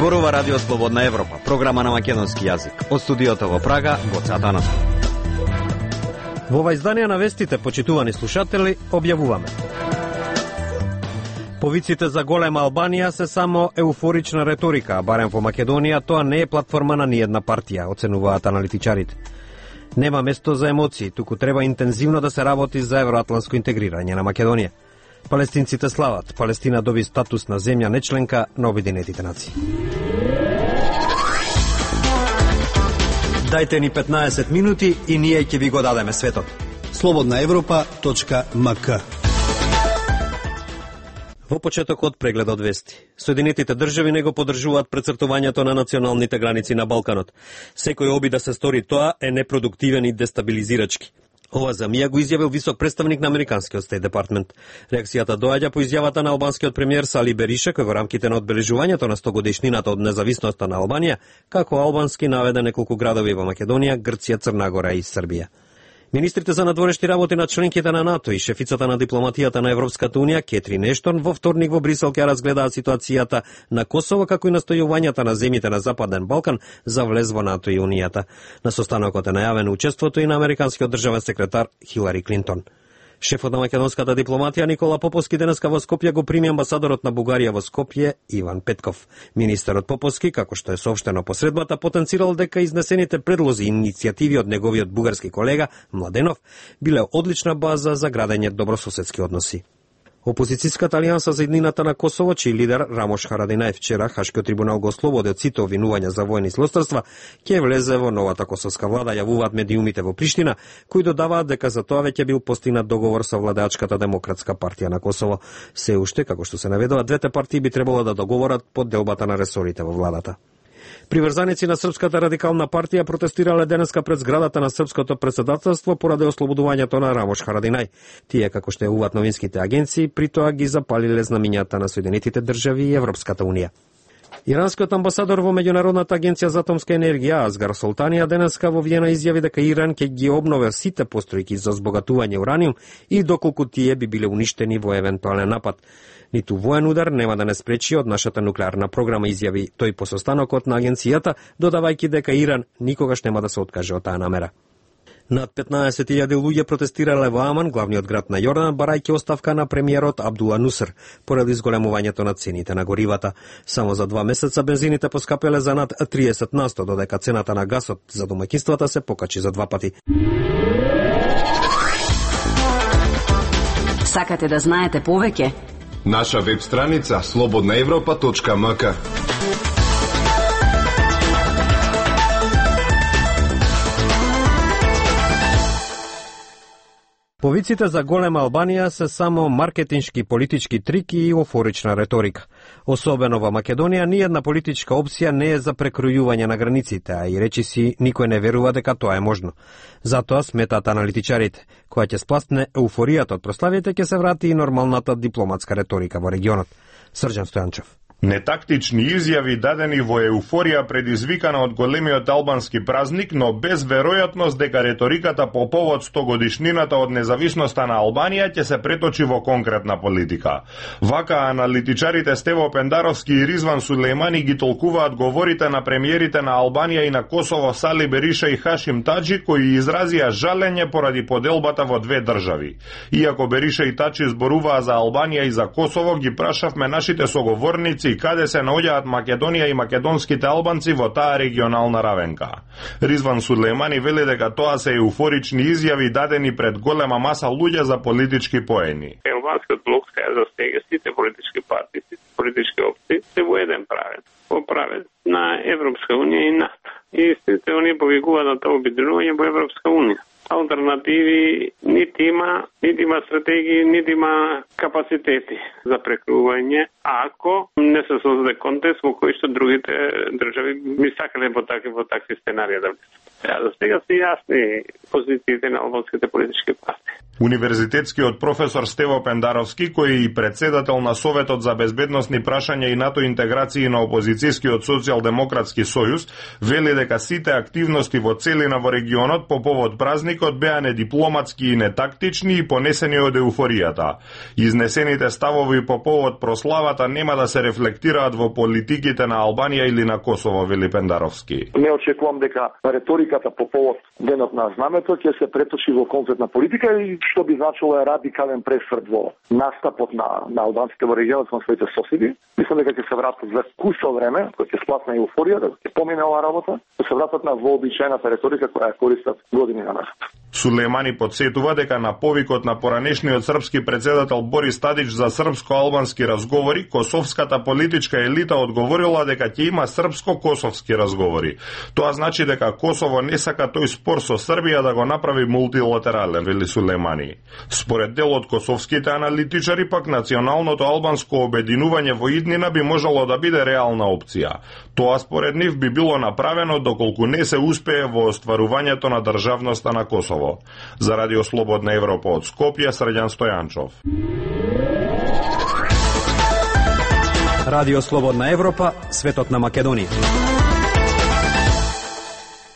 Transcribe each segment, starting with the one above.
Зборува Радио Слободна Европа, програма на македонски јазик. Од студиото во Прага, Гоце Атанасов. Во ова издание на вестите, почитувани слушатели, објавуваме. Повиците за голема Албанија се само еуфорична реторика, а барем во Македонија тоа не е платформа на ниедна партија, оценуваат аналитичарите. Нема место за емоции, туку треба интензивно да се работи за евроатлантско интегрирање на Македонија. Палестинците слават, Палестина доби статус на земја нечленка на Обединетите нации. Дајте ни 15 минути и ние ќе ви го дадеме светот. slobodnaevropa.mk. Во почетокот преглед од вести. Соединетите држави не го поддржуваат прецртувањето на националните граници на Балканот. Секој обид да се стори тоа е непродуктивен и дестабилизирачки. Ова за мија го изјавил висок представник на Американскиот Стейт Департмент. Реакцијата доаѓа по изјавата на албанскиот премиер Сали Бериша, кој во рамките на одбележувањето на 100-годишнината од независноста на Албанија, како албански наведе неколку градови во Македонија, Грција, Црна Гора и Србија. Министрите за надворешни работи на членките на НАТО и шефицата на дипломатијата на Европската Унија, Кетрин Ештон, во вторник во Брисел ќе разгледаат ситуацијата на Косово, како и настојувањата на земјите на Западен Балкан за влез во НАТО и Унијата. На состанокот е најавено учеството и на американскиот државен секретар Хилари Клинтон. Шефот на македонската дипломатија Никола Поповски денеска во Скопје го прими амбасадорот на Бугарија во Скопје Иван Петков. Министерот Поповски, како што е соопштено по средбата, потенцирал дека изнесените предлози и иницијативи од неговиот бугарски колега Младенов биле одлична база за градење добрососедски односи. Опозицијската алијанса за иднината на Косово, чиј лидер Рамош Харадинај вчера Хашкиот трибунал го ослободи од сите обвинувања за воени злосторства, ќе влезе во новата косовска влада, јавуваат медиумите во Приштина, кои додаваат дека за тоа веќе бил постигнат договор со владеачката Демократска партија на Косово. Се уште, како што се наведува, двете партии би требало да договорат подделбата на ресорите во владата. Приврзаници на Српската радикална партија протестирале денеска пред зградата на Српското претседателство поради ослободувањето на Рамош Харадинај. Тие, како што јавуваат новинските агенции, при тоа ги запалиле знамињата на Соединетите држави и Европската Унија. Иранскиот амбасадор во Меѓународната агенција за атомска енергија Азгар Солтанија денеска во Виена изјави дека Иран ќе ги обнови сите постојки за збогатување ураниум и доколку тие би биле уништени во евентуален напад. Ниту воен удар нема да не спречи од нашата нуклеарна програма, изјави тој по состанокот на агенцијата, додавајќи дека Иран никогаш нема да се откаже од таа намера. Над 15.000 луѓе протестирале во Аман, главниот град на Јордан, барајќи оставка на премиерот Абдула Нусер, поради зголемувањето на цените на горивата. Само за 2 месеца бензините поскапеле за над 30%, додека цената на гасот за домаќинствата се покачи за 2 пати. Сакате да знаете повеќе? Наша веб страница slobodnaevropa.mk. Повиците за голема Албанија се само маркетиншки политички трики и еуфорична реторика. Особено во Македонија, ниједна политичка опција не е за прекројување на границите, а и речиси никој не верува дека тоа е можно. Затоа сметаат аналитичарите, која ќе спласне еуфоријата од прославите, ќе се врати и нормалната дипломатска реторика во регионот. Срđan Стојанчев. Нетактични изјави дадени во еуфорија предизвикана од големиот албански празник, но без веројатност дека реториката по повод 100-годишнината од независноста на Албанија ќе се преточи во конкретна политика. Вака аналитичарите Стево Пендаровски и Ризван Сулејмани ги толкуваат говорите на премиерите на Албанија и на Косово Сали Бериша и Хашим Таџи, кои изразија жалење поради поделбата во две држави. Иако Бериша и Таџи зборуваа за Албанија и за Косово, ги прашавме нашите соговорници каде се наоѓаат Македонија и македонските албанци во таа регионална равенка. Ризван Сулејмани вели дека тоа се еуфорични изјави дадени пред голема маса луѓе за политички поени. Албанскиот блок се застега сите политички партии, сите политички опции се во еден правец. Во правец на Европска Унија и НАТО. И сите оние повикуваат на тоа обединување во Европска Унија. Алтернативи нити има стратегии, нити има капацитети за прекрување, ако не се создаде контекст во кој што другите држави би сакале во такви сценарија да влезат. До сега се јасни позициите на албанските политички партии. Универзитетскиот професор Стево Пендаровски, кој е и председател на Советот за безбедносни прашања и НАТО интеграции на опозицијскиот социјалдемократски сојуз, вели дека сите активности во целина во регионот по повод празникот беа недипломатски и нетактични и понесени од еуфоријата. Изнесените ставови по повод прославата нема да се рефлектираат во политиките на Албанија или на Косово, вели Пендаровски. Не очекувам дека реториката по повод денот на знамето ќе се преточи во конкретна политика и што би значило е радикален пресврт во настапот на албанците во регионот со своите соседи. Мислам дека ќе се вратат за кусо време, кога ќе сплатна еуфорија, да ќе помине оваа работа, ќе се вратат на вообичаената реторика која ја користат години назад. Сулејмани подсетува дека на повикот на поранешниот српски председател Борис Тадич за српско-албански разговори, косовската политичка елита одговорила дека ќе има српско-косовски разговори. Тоа значи дека Косово не сака тој спор со Србија да го направи мултилатерален, вели Сулејмани. Според дел од косовските аналитичари, пак националното албанско обединување во иднина би можело да биде реална опција. Тоа според нив би било направено доколку не се успее во остварувањето на државноста на Косово. За Радио Слободна Европа од Скопје, Срđan Стојанчов. Радио Слободна Европа, светот на Македонија.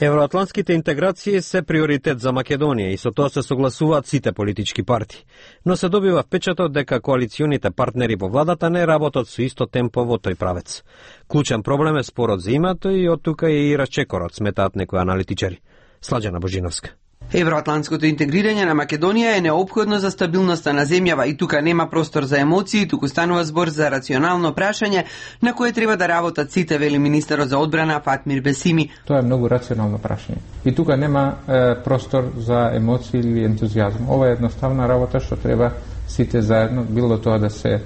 Евроатлантските интеграции се приоритет за Македонија и со тоа се согласуваат сите политички партии. Но се добива впечаток дека коалиционите партнери во владата не работат со исто темпо во тој правец. Клучен проблем е спорот за името и од тука е и расчекорот, сметаат некои аналитичари. Сладжана Божиновска. Евроатлантското интегрирање на Македонија е неопходно за стабилноста на земјава и тука нема простор за емоции, туку станува збор за рационално прашање на кое треба да работат сите, вели министерот за одбрана Фатмир Бесими. Тоа е многу рационално прашање. И тука нема простор за емоции или ентузијазм. Ова е едноставна работа што треба сите заедно, било тоа да се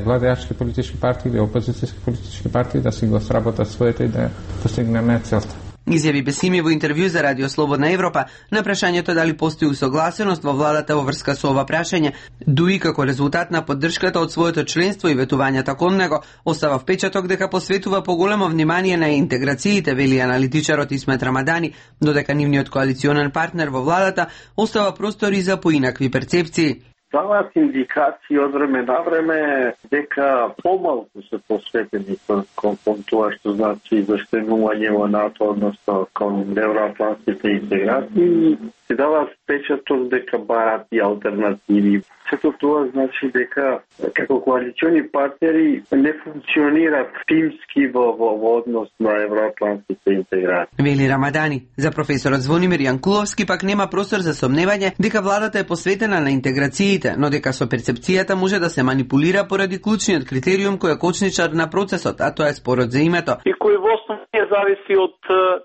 владеачки политички партии или опозицијски политички партии да си го сработат своите и да постигнеме целта. Изјави Бесими во интервју за Радио Слободна Европа на прашањето дали постои усогласеност во владата во врска со ова прашање, дуи како резултат на поддршката од своето членство и ветувањата кон него, остава впечаток дека посветува поголемо внимание на интеграциите, вели аналитичарот Исмет Рамадани, додека нивниот коалиционен партнер во владата остава простори за поинакви перцепции. Даваат индикации од време на време дека помалку се посветени кон тоа што значи застегнување во НАТО, односно кон евроатлантските интеграции, се дава впечаток дека барат и алтернативи. Сето тоа значи дека како коалициони партнери не функционират тимски во однос на евроатлантските интеграции. Вели Рамадани. За професорот Звонимир Јанкуловски пак нема простор за сомневање дека владата е посветена на интеграциите, но дека со перцепцијата може да се манипулира поради клучниот критериум кој е кочничар на процесот, а тоа е спорот за името. И кој во основа не зависи од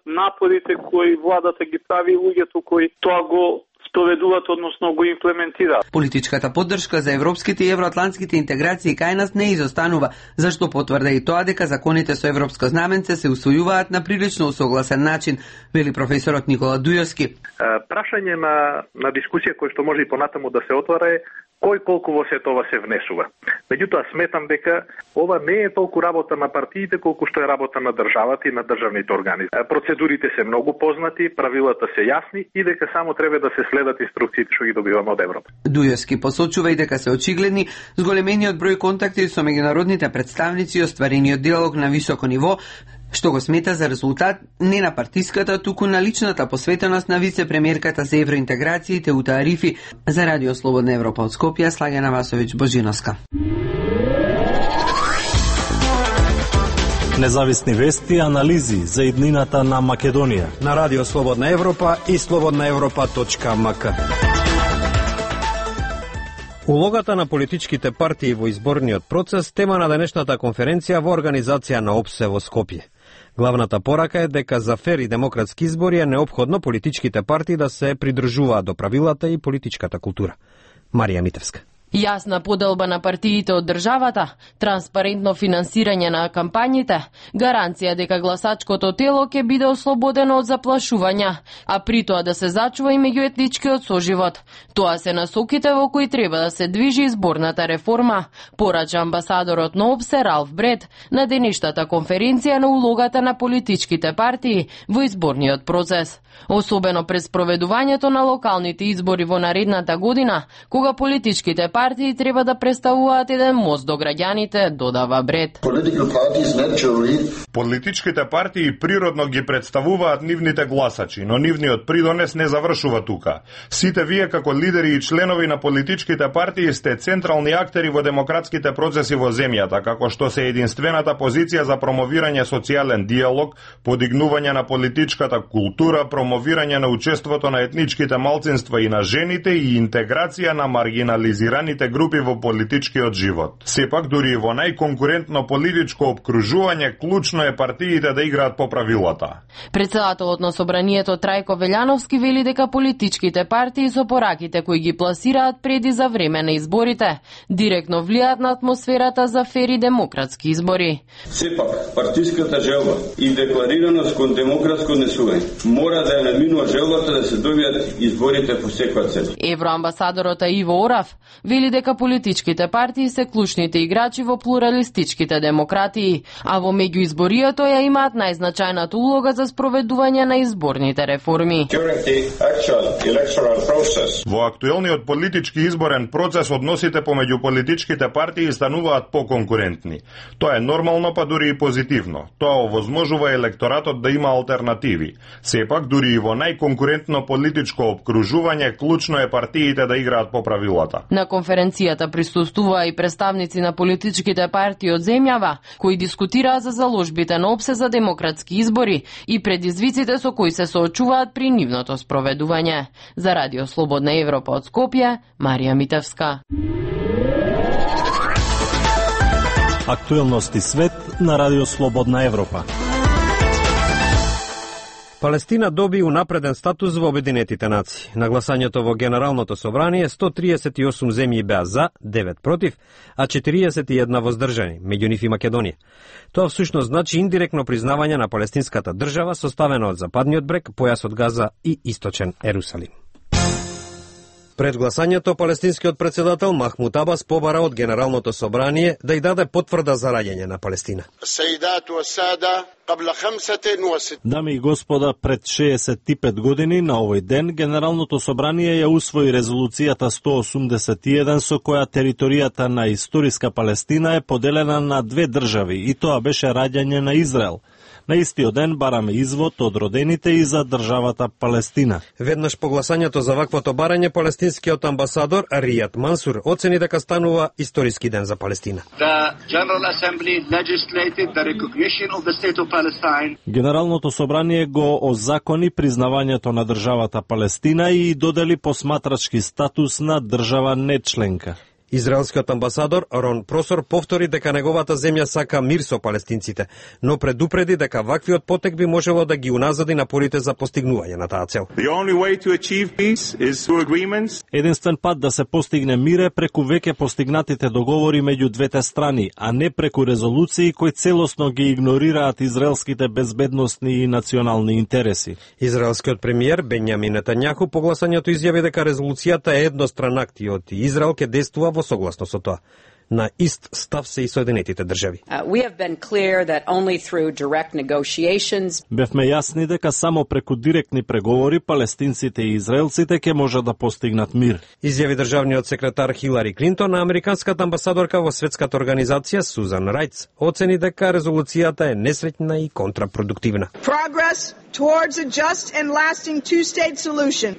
напорите кои владата ги прави луѓето кои тоа го спроведуваат, односно го имплементираат. Политичката поддршка за европските и евроатлантските интеграции кај нас не изостанува, зашто потврда и тоа дека законите со европско знаменце се усвојуваат на прилично усогласен начин, вели професорот Никола Дујовски. Прашање на дискусија кој што може и понатаму да се отвара е кој колку во сето ова се внесува. Меѓутоа сметам дека ова не е толку работа на партиите колку што е работа на државата и на државните органи. Процедурите се многу познати, правилата се јасни и дека само треба да се следат инструкциите што ги добиваме од Европа. Дујовски посочува и дека се очигледни зголемениот број контакти со меѓународните представници и остварениот диалог на високо ниво, што го смета за резултат не на партиската, туку на личната посветеност на вице-премиерката за евроинтеграциите Ута Арифи. За Радио Слободна Европа од Скопје, Слагена Васовиќ Божиновска. Независни вести и анализи за иднината на Македонија на Радио Слободна Европа и slobodnaevropa.mk. Улогата на политичките партии во изборниот процес тема на денешната конференција во организација на ОПСЕ во Скопје. Главната порака е дека за фер и демократски избори е неопходно политичките партии да се придржуваат до правилата и политичката култура. Марија Митевска. Јасна поделба на партиите од државата, транспарентно финансирање на кампањите, гаранција дека гласачкото тело ќе биде ослободено од заплашувања, а при тоа да се зачува и меѓуетничкиот соживот. Тоа се насоките во кои треба да се движи изборната реформа, порача амбасадорот на ОПСЕ Ралф Бред на денешната конференција на улогата на политичките партии во изборниот процес. Особено пред спроведувањето на локалните избори во наредната година, кога политичките партии треба да представуваат еден мост до граѓаните, додава Бред. Политичките партии природно ги представуваат нивните гласачи, но нивниот придонес не завршува тука. Сите вие како лидери и членови на политичките партии сте централни актери во демократските процеси во земјата, како што се единствената позиција за промовирање социјален диалог, подигнување на политичката култура, промовирање на учеството на етничките малцинства и на жените и интеграција на маргинализираните групи во политичкиот живот. Сепак, дури и во најконкурентно политичко опкружување, клучно е партиите да играат по правилата. Председателот на собранието Трајко Велјановски вели дека политичките партии со пораките кои ги пласираат пред и за време на изборите директно влијаат на атмосферата за фери демократски избори. Сепак, партиската желба и декларираност кон демократско однесување мора да ја наминува желбата да се добијат изборите по секоја цена. Евроамбасадорот Иво Орав вели дека политичките партии се клучните играчи во плуралистичките демократии, а во меѓуизборието ја имаат најзначајната улога за спроведување на изборните реформи. Во актуелниот политички изборен процес односите помеѓу политичките партии стануваат поконкурентни. Тоа е нормално, па дури и позитивно. Тоа овозможува електоратот да има алтернативи. Сепак, дури и во најконкурентно политичко обкружување, клучно е партиите да играат по правилата. На конференцијата присуствуваа и представници на политичките партии од земјава, кои дискутираа за заложбите на ОПСЕ за демократски избори и предизвиците со кои се соочуваат при нивното спроведување. За Радио Слободна Европа од Скопје, Марија Митевска. Актуелности свет на Радио Слободна Европа. Палестина доби унапреден статус во Обединетите нации. На гласањето во Генералното собрание 138 земји беа за, 9 против, а 41 воздржани, меѓу нив и Македонија. Тоа всушност значи индиректно признавање на палестинската држава составена од Западниот брег, појасот Газа и Источен Ерусалим. Пред гласањето, палестинскиот председател Махмуд Абас побара од Генералното собрание да ја даде потврда за раѓање на Палестина. Дами и господа, пред 65 години на овој ден Генералното собрание ја усвои резолуцијата 181 со која територијата на историска Палестина е поделена на две држави и тоа беше раѓање на Израел. На истиот ден бараме извод од родените и за државата Палестина. Веднаш по гласањето за ваквото барање, палестинскиот амбасадор Ријад Мансур оцени дека станува историски ден за Палестина. Генералното собрание го озакони признавањето на државата Палестина и додели посматрачки статус на држава нечленка. Израелскиот амбасадор Рон Просор повтори дека неговата земја сака мир со палестинците, но предупреди дека ваквиот потек би можело да ги уназади напорите за постигнување на таа цел. Единствен пат да се постигне мир е преку веќе постигнатите договори меѓу двете страни, а не преку резолуции кои целосно ги игнорираат израелските безбедносни и национални интереси. Израелскиот премиер Бенјамин Нетањаху по гласањето изјави дека резолуцијата е едностран акт и Израел ќе действува во согласно со тоа. На ист став се и Соединетите држави. Бевме јасни дека само преку директни преговори палестинците и израелците ќе можат да постигнат мир. Изјави државниот секретар Хилари Клинтон, а американската амбасадорка во светската организација Сузан Рајц оцени дека резолуцијата е несреќна и контрапродуктивна.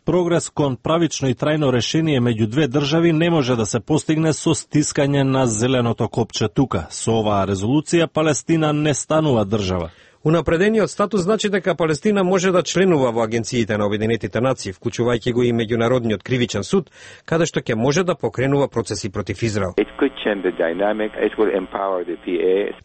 Прогрес кон правично и трајно решение меѓу две држави не може да се постигне со стискање на зеленото копче тука. Со оваа резолуција Палестина не станува држава. Унапредениот статус значи дека Палестина може да членува во агенциите на Обединетите нации, вклучувајќи го и Меѓународниот кривичен суд, каде што ќе може да покренува процеси против Израел.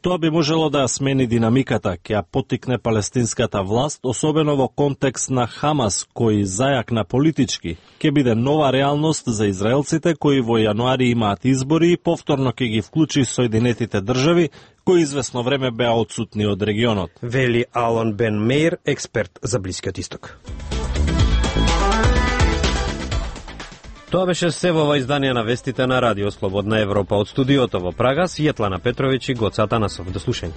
Тоа би можело да смени динамиката, ќе ја поттикне палестинската власт, особено во контекст на Хамас, кој зајакна политички, ќе биде нова реалност за израелците кои во јануари имаат избори и повторно ќе ги вклучи Соединетите држави, кои известно време беа отсутни од регионот. Вели Алан Бен Мейер, експерт за Блискиот Исток. Тоа беше се во ова издание на вестите на Радио Слободна Европа. Од студиото во Прага, Светлана Петровиќ и Гоца Атанасов. До слушање.